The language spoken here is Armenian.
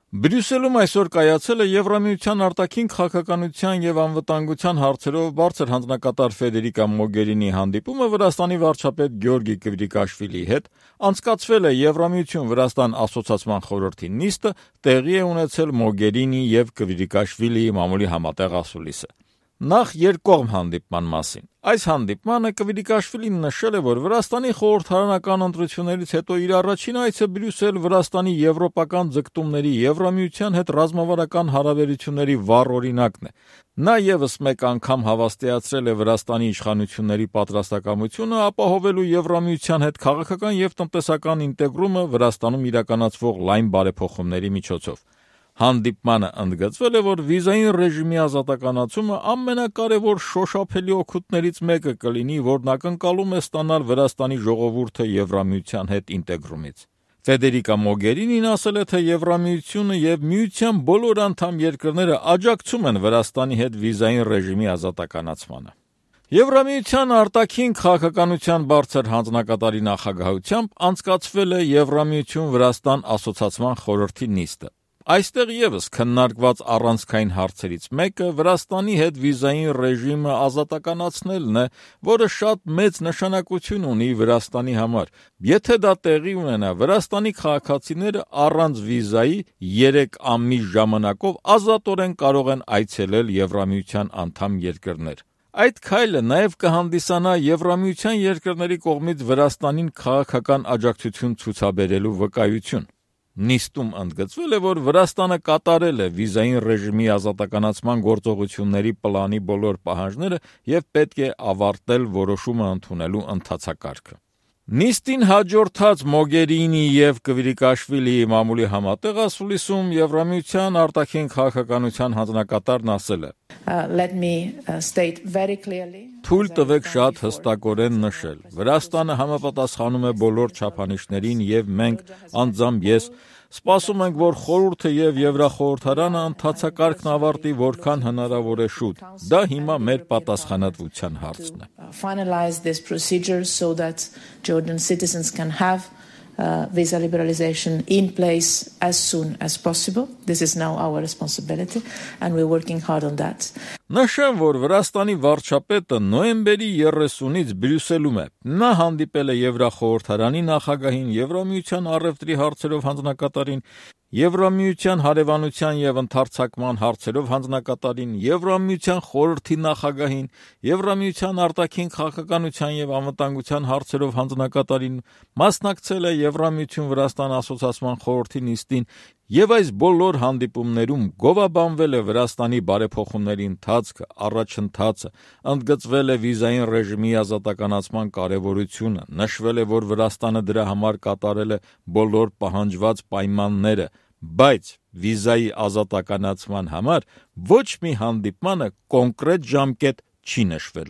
Բրյուսելում այսօր կայացել է Եվրամիության արտաքին քաղաքականության եւ անվտանգության հարցերով բարձր հանձնակատար Ֆեդերիկա Մոգերինի հանդիպումը Վրաստանի վարչապետ Գյորգի Կվրիկաշվիլիի հետ, անցկացվել է Եվրամիություն-Վրաստան ասոցիացիան խորհրդի նիստը, տեղի է ունեցել Մոգերինի եւ Կվրիկաշվիլիի մամուլի համատեղ ասուլիսը։ Նախ երկկողմ հանդիպման մասին։ Այս հանդիպմանը Կվրիկաշվիլին նշել է, որ Վրաստանի խորհրդարանական ընտրություններից հետո իր առաջին այցը Բրյուսել Վրաստանի եվրոպական ձգտումների Եվրամիության հետ ռազմավարական հարաբերությունների վառ օրինակն է։ Նա եւս մեկ անգամ հավաստիացրել է Վրաստանի իշխանությունների պատրաստակամությունը ապահովելու Եվրամիության հետ քաղաքական եւ տնտեսական ինտեգրումը Վրաստանում իրականացվող լայն բարեփոխումների միջոցով։ Հանդիպմանը ընդգծվել է, որ վիզային ռեժիմի ազատականացումը ամենակարևոր շոշափելի օգուտներից մեկը կլինի, որն ակնկալում է ստանալ Վրաստանի ժողովուրդը Եվրամիության հետ ինտեգրումից։ Ֆեդերիկա Մոգերինին ասել է, թե Եվրամիությունը եւ Միության բոլոր անդամ երկրները աջակցում են Վրաստանի հետ վիզային ռեժիմի ազատականացմանը։ Եվրամիության արտաքին քաղաքականության բարձր հանձնակատարի նախագահությամբ անցկացվել է Եվրամիություն-Վրաստան ասոցիացիան խորհրդի նիստը։ Այստեղ եւս քննարկված առանցքային հարցերից մեկը Վրաստանի հետ վիզային ռեժիմը ազատականացնելն է, որը շատ մեծ նշանակություն ունի Վրաստանի համար։ Եթե դա տեղի ունենա, Վրաստանի քաղաքացիները առանց վիզայի 3 ամիս ժամանակով ազատորեն կարող են այցելել Եվրամիության անդամ երկրներ։ Այդ քայլը նաև կհանդիսանա Եվրամիության երկրների կողմից Վրաստանին քաղաքական աջակցություն ցուցաբերելու վկայություն։ Նիստում ընդգծվել է, որ Վրաստանը կատարել է վիզային ռեժիմի ազատականացման գործողությունների պլանի բոլոր պահանջները եւ պետք է ավարտել որոշումը ընդունելու ընթացակարգը։ Նիստին հաջորդած Մոգերինի եւ Կվրիկաշվիլիի մամուլի համատեղ ասուլիսում Եվրամիության արտաքին քաղաքականության հանձնակատարն ասել է. Թույլ տվեք շատ հստակորեն նշել. Վրաստանը համապատասխանում է բոլոր չափանիշներին եւ մենք անձամբ ես սպասում ենք, որ խորհուրդը եւ Եվրախորհրդարանը ընթացակարգն ավարտի որքան հնարավոր է շուտ։ Դա հիմա մեր պատասխանատվության հարցն է։ Visa liberalization in place as soon as possible. This is now our responsibility and we're working hard on that. Նշեմ, որ Վրաստանի վարչապետը նոյեմբերի 30-ից Բրյուսելում է։ Նա հանդիպել է Եվրախորհրդարանի նախագահին, Եվրամիության առևտրի հարցերով հանձնակատարին, Եվրամիության հարևանության եւ ընդարձակման հարցերով հանձնակատարին, Եվրամիության խորհրդի նախագահին, Եվրամիության արտաքին քաղաքականության եւ անվտանգության հարցերով հանձնակատարին, մասնակցել է Եվրամիություն-Վրաստան ասոցիացիան խորհրդի նիստին եւ այս բոլոր հանդիպումներում գովաբանվել է Վրաստանի բարեփոխումների ընթացքը, առաջընթացը, ընդգծվել է վիզային ռեժիմի ազատականացման կարեւորությունը, նշվել է, որ Վրաստանը դրա համար կատարել է բոլոր պահանջված պայմանները, բայց վիզայի ազատականացման համար ոչ մի հանդիպմանը կոնկրետ ժամկետ չի նշվել։